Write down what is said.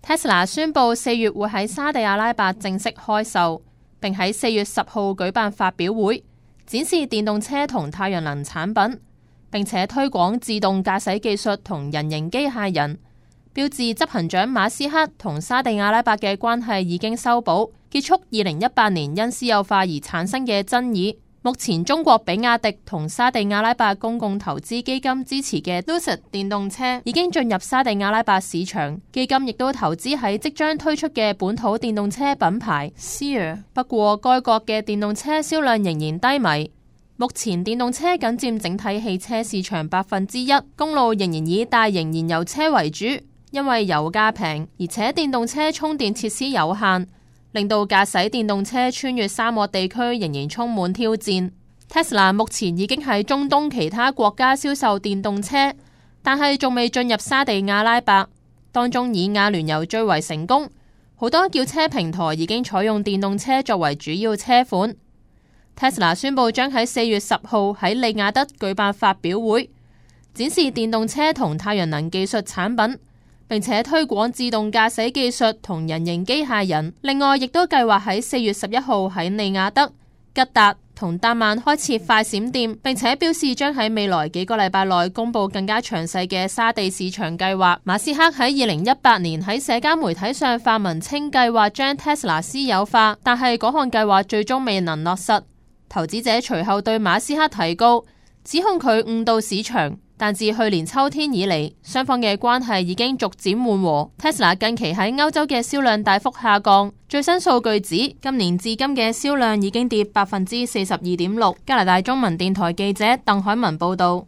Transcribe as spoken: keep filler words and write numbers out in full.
Tesla 宣布四月會喺沙地阿拉伯正式開售，並喺四月十號舉辦發表會，展示電動車同太陽能產品，並且推廣自動駕駛技術同人形機械人。標誌執行長馬斯克同沙地阿拉伯嘅關係已經修補，結束二零一八年因私有化而產生嘅爭議。目前中國比亞迪同沙地阿拉伯公共投資基金支持嘅 Lucid 電動車已經進入沙地阿拉伯市場，基金亦都投資喺即將推出嘅本土電動車品牌 Seer。不過該國嘅電動車銷量仍然低迷。目前電動車僅佔整體汽車市場百分之一，公路仍然以大型燃油車為主。因為油價平，而且電動車充電設施有限，令到駕駛電動車穿越沙漠地區仍然充滿挑戰。Tesla 目前已經喺中東其他國家銷售電動車，但係仲未進入沙地阿拉伯，當中以阿聯酋最為成功。好多轎車平台已經採用電動車作為主要車款。Tesla 宣布將喺四月十號喺利雅得舉辦發表會，展示電動車同太陽能技術產品，並且推廣自動駕駛技術同人形機械人。另外，亦都計劃喺四月十一號喺利雅得、吉達同達曼開設快閃店，並且表示將喺未來幾個禮拜內公布更加詳細嘅沙地市場計劃。馬斯克喺二零一八年喺社交媒體上發文稱計劃將 Tesla 私有化，但係嗰項計劃最終未能落實。投資者隨後對馬斯克提告，指控佢誤導市場。但自去年秋天以嚟，雙方嘅關係已經逐漸緩和。Tesla 近期喺歐洲嘅銷量大幅下降，最新數據指今年至今嘅銷量已經跌百分之四十二點六。加拿大中文電台記者鄧海文報道。